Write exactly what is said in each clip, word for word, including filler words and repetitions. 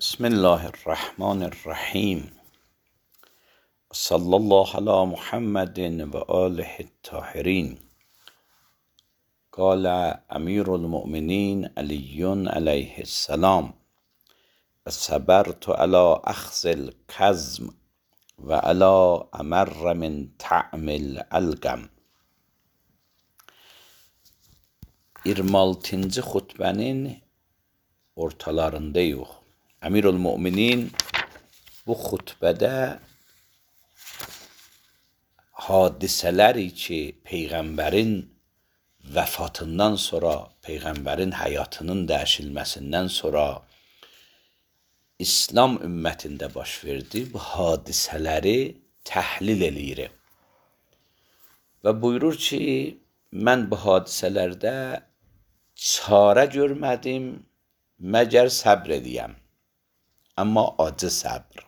بسم الله الرحمن الرحیم صلی الله علی محمد و آله الطاهرین. قال امیر المؤمنین علی علیه السلام: صبرت علی اخذ الکظم و علی امر من طعم الالقم. yirmi altıncı xutbənin ortalarındayıq. Əmirül-Möminin bu xutbədə hadisələri ki, Peyğəmbərin vəfatından sonra, Peyğəmbərin həyatının dəyişilməsindən sonra İslam ümmətində baş verdi, bu hadisələri təhlil eləyir. Və buyurur ki, mən bu hadisələrdə çarə görmədim, məgər səbr edəyəm. Amma acı səbr.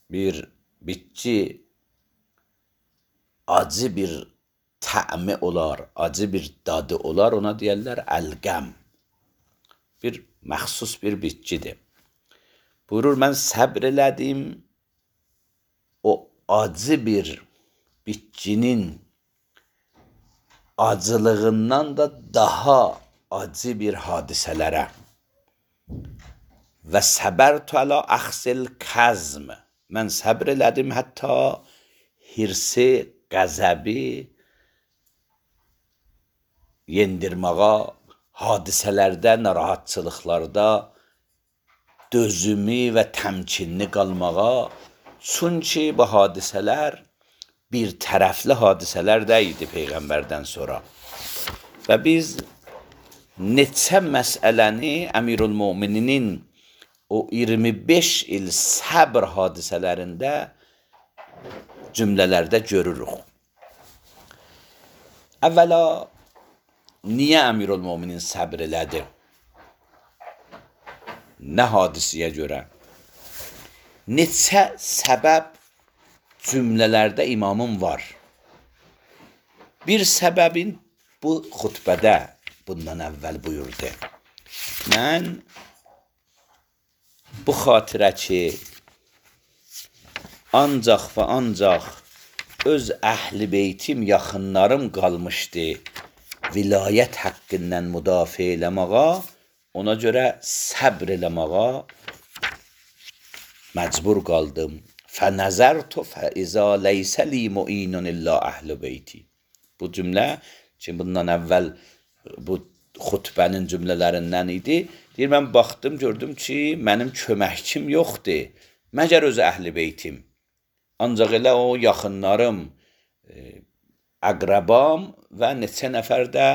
Bir bitki acı bir təmi olar, acı bir dadı olar, ona deyərlər əlqəm. Bir məxsus bir bitkidir. Buyurur, mən səbr elədim, o acı bir bitkinin acılığından da daha acı bir hadisələrə. Və səbərtu ələ əxzil kəzm. Mən səbr elədim, hətta hirsi, qəzəbi yendirməğa, hadisələrdə, narahatçılıqlarda dözümü və təmkinli qalmağa. Çünki bu hadisələr bir tərəfli hadisələr deyildi Peyğəmbərdən sonra. Və biz neçə məsələni Əmirül-Mömininin o iyirmi beş il səbr hadisələrində cümlələrdə görürük. Əvvəla, niyə Əmirül-Möminin səbr elədi? Nə hadisiyə görə? Neçə səbəb cümlələrdə imamım var. Bir səbəbin bu xutbədə bundan əvvəl buyurdu. Mən bu xatirə ki, ancaq və ancaq öz əhl-i beytim, yaxınlarım qalmışdı vilayət haqqından müdafiə eləməğa, ona görə səbr eləməğa məcbur qaldım. فَنَزَرْتُ فَإِذَا لَيْسَ لِي مُعِينٌ إِلَّا أَهْلُ بَيْتِي. Bu cümlə ki, bundan əvvəl bu xutbənin cümlələrindən idi. Deyir, mən baxdım, gördüm ki, mənim köməkçim yoxdur, məgər öz əhl-i beytim. Ancaq elə o yaxınlarım, əqrəbam və neçə nəfər də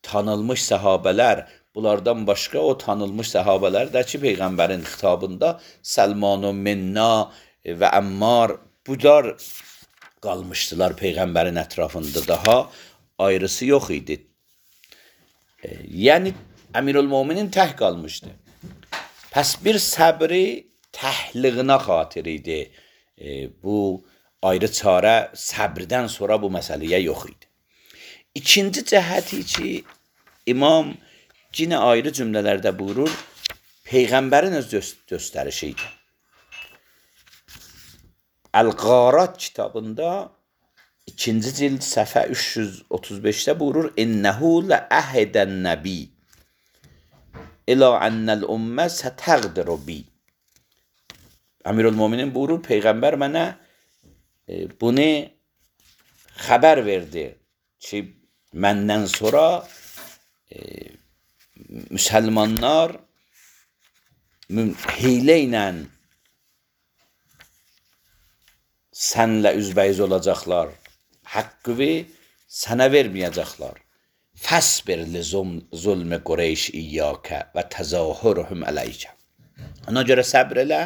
tanınmış səhabələr, bunlardan başqa o tanınmış səhabələr də ki, Peyğəmbərin xitabında Səlman-ı Minna və Əmmar, bunlar qalmışdılar Peyğəmbərin ətrafında, daha ayrısı yox idi. E, yəni, Əmirül-Möminin tək qalmışdı. Pəs bir səbri təhliğinə xatir idi. E, bu ayrı çarə səbrdən sonra bu məsələyə yox idi. İkinci cəhəti ki, imam yenə ayrı cümlələrdə buyurur, Peyğəmbərin öz göstərişi idi. Əl-Qarat kitabında ikinci cild səhifə üç yüz otuz beşdə buyurur, İnnəhu ləəhədən nəbi ilə ənəl ümmə sətəqdiru bi. Əmirül-Möminin buyurur, Peyğəmbər mənə e, bunu xəbər verdi ki, məndən sonra e, müsəlmanlar hiylə ilə sənlə üzbəyiz olacaqlar, haqqı sənə verməyəcəklər. Fəsbir li zulmü Qureyş iyyəkə və təzahürhüm ələykə. Ona görə səbr elə,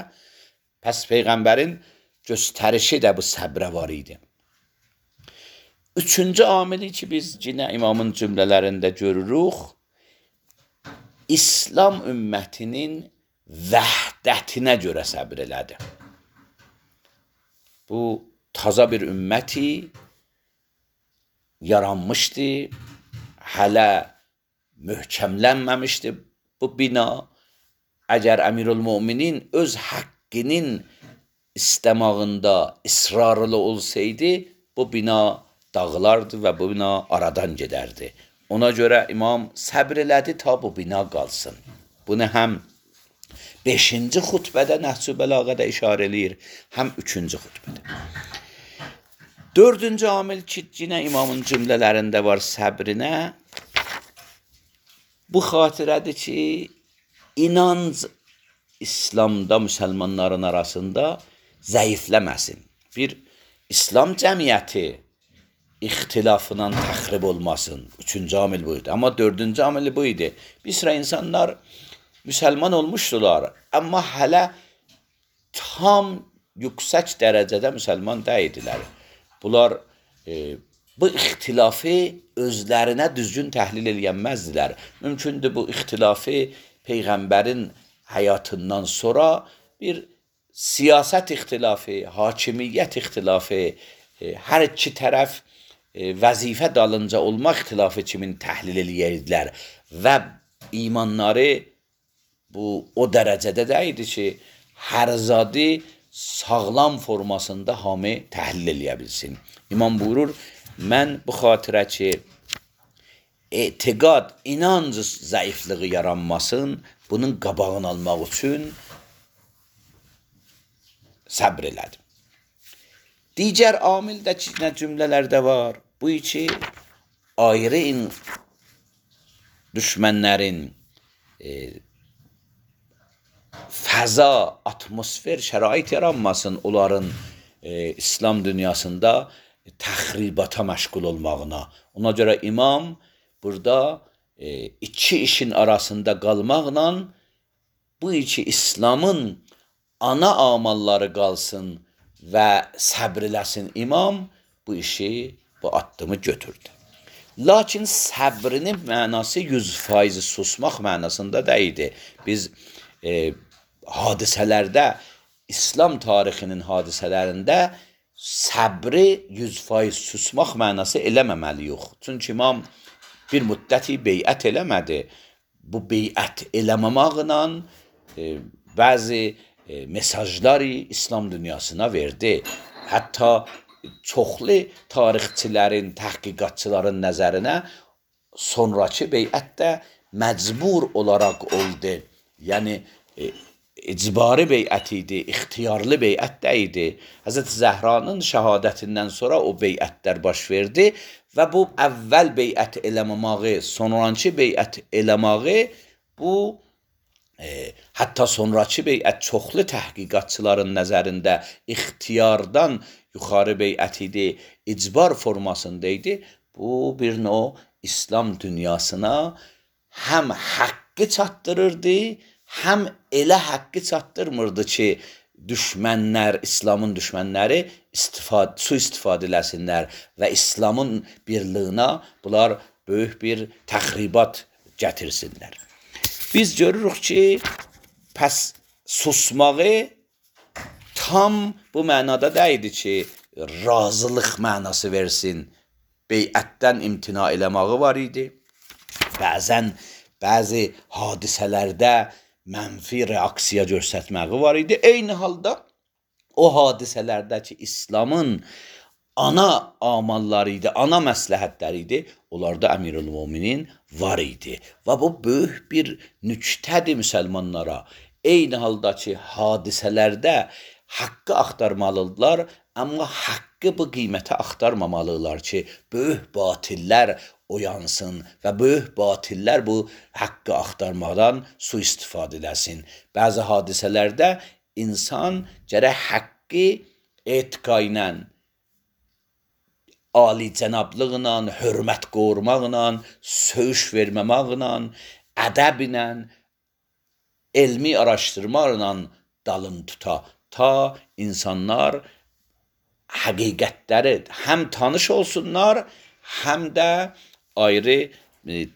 pəs Peyğəmbərin göstərişi də bu səbrə var idi. Üçüncü amili ki, biz yine imamın cümlələrində görürük, İslam ümmətinin vəhdətinə görə səbr elədi. Bu taza bir ümməti yaranmışdı, hələ möhkəmlənməmişdi bu bina əgər Əmirülmüminin öz haqqının istemağında ısrarlı olsaydı, bu bina dağılardı və bu bina aradan gedərdi. Ona görə imam səbr elədi ta bu bina qalsın. Bunu həm beşinci xutbədə Nəhcü Bəlağədə işarə eləyir, həm üçüncü xutbədə. Dördüncü amil ki, yine imamın cümlələrində var səbrinə. Bu xatirədir ki, inanc İslamda müsəlmanların arasında zəifləməsin. Bir İslam cəmiyyəti ixtilafından təxrib olmasın. Üçüncü amil buydu. Ama dördüncü amili buydu. Bir sıra insanlar müsəlman olmuşdular, amma hələ tam yüksək dərəcədə müsəlman deyildilər. Bunlar e, bu ixtilafı özlərinə düzgün təhlil eləyənməzdilər. Mümkündür bu ixtilafı Peyğəmbərin həyatından sonra bir siyasət ixtilafı, hakimiyyət ixtilafı, e, hər iki tərəf e, vəzifə dalınca olmaq ixtilafı kimin təhlil eləyərdilər və imanları bu o dərəcədə də idi ki, hər zadı sağlam formasında hamı təhlil eləyə bilsin. İmam buyurur, mən bu xatirə ki, etiqad, inanc zəifliği yaranmasın, bunun qabağını almaq üçün səbr elədim. Digər amil də ki, nə cümlələrdə var, bu ki, ayrı düşmənlərin e, fəza, atmosfer, şərait yaranmasın onların e, İslam dünyasında təxribata məşğul olmağına. Ona görə imam burada e, iki işin arasında qalmaqla bu iki İslamın ana amalları qalsın və səbr eləsin imam bu işi, bu addımı götürdü. Lakin səbrinin mənası yüz faiz susmaq mənasında deyildi. Biz e, hadisələrdə, İslam tarixinin hadisələrində səbri yüz faiz susmaq mənası eləməməliyik. Çünki imam bir müddəti beyət eləmədi. Bu beyət eləməmaqla e, bəzi e, mesajları İslam dünyasına verdi. Hətta çoxlu tarixçilərin, təhqiqatçıların nəzərinə sonraki beyətdə məcbur olaraq oldu. Yəni, e, icbari beyət idi, ixtiyarlı beyət də idi. Həzrəti Zəhranın şəhadətindən sonra o beyətlər baş verdi və bu əvvəl beyət eləməməyi, sonraki beyət eləməyi, bu e, hətta sonraki beyət çoxlu təhqiqatçıların nəzərində ixtiyardan yuxarı beyət idi, icbar formasında idi. Bu bir növ İslam dünyasına həm haqqı çatdırırdı, həm elə haqqı çatdırmırdı ki, düşmənlər, İslamın düşmənləri istifad, su istifadə eləsinlər və İslamın birliyinə bunlar böyük bir təxribat gətirsinlər. Biz görürük ki, pəs susmağı tam bu mənada deyildi ki, razılıq mənası versin, beyətdən imtina eləməyi var idi. Bəzən bəzi hadisələrdə mənfi reaksiya göstərməyi var idi. Eyni halda o hadisələrdə ki, İslamın ana amalları idi, ana məsləhətləri idi, onlarda Əmirülmüminin var idi. Və bu böyük bir nüktədir müsəlmanlara. Eyni halda ki, hadisələrdə haqqı axtarmalıdırlar, amma haqqı bu qiymətə axtarmamalıdırlar ki, böyük batillər oyansın və böyük batillər bu haqqı axtarmadan su istifadə eləsin. Bəzi hadisələrdə insan gərək haqqı etiqa ilə, ali cənablıqla, hörmət qormaqla, söyüş verməməklə, ədəblə, elmi araşdırmaqla dalın tuta. Ta insanlar həqiqətləri həm tanış olsunlar, həm də ayrı e,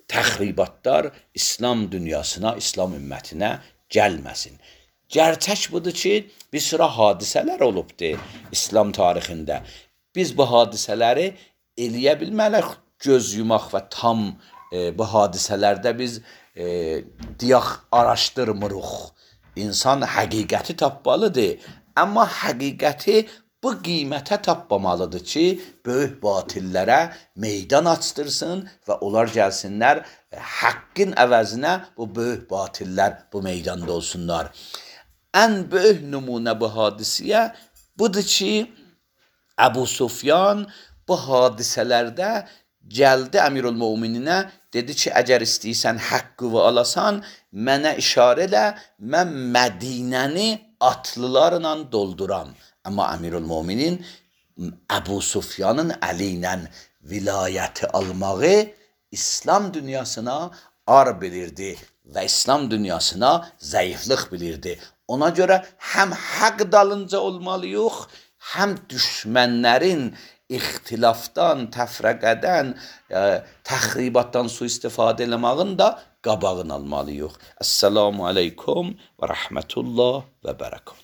təxribatlar İslam dünyasına, İslam ümmətinə gəlməsin. Gerçək budur ki, bir sıra hadisələr olubdur İslam tarixində. Biz bu hadisələri eləyə bilməliyik göz yumaq və tam e, bu hadisələrdə biz e, deyək araşdırmırıq. İnsan həqiqəti tapmalıdır, amma həqiqəti bu qiymətə tapmamalıdır ki, böyük batillərə meydan açdırsın və onlar gəlsinlər haqqın əvəzinə bu böyük batillər bu meydanda olsunlar. Ən böyük nümunə bu hadisiyə budur ki, Əbu Sufyan bu hadisələrdə gəldi Əmirülmömininə, dedi ki, əgər istəyirsən haqqı alasan, mənə işarə elə, mən Mədinəni atlılarla dolduram. Amma Əmirülmöminin Əbu Sufyanın əli ilə vilayəti almağı İslam dünyasına ar bilirdi və İslam dünyasına zəiflik bilirdi. Ona görə həm haqq dalınca olmalıyıq, həm düşmənlərin ixtilafdan, təfrəqədən, təxribatdan sui-istifadə eləmağın da qabağını almalıyıq. Əssalamu aleykum və rəhmətullah və bərəkət.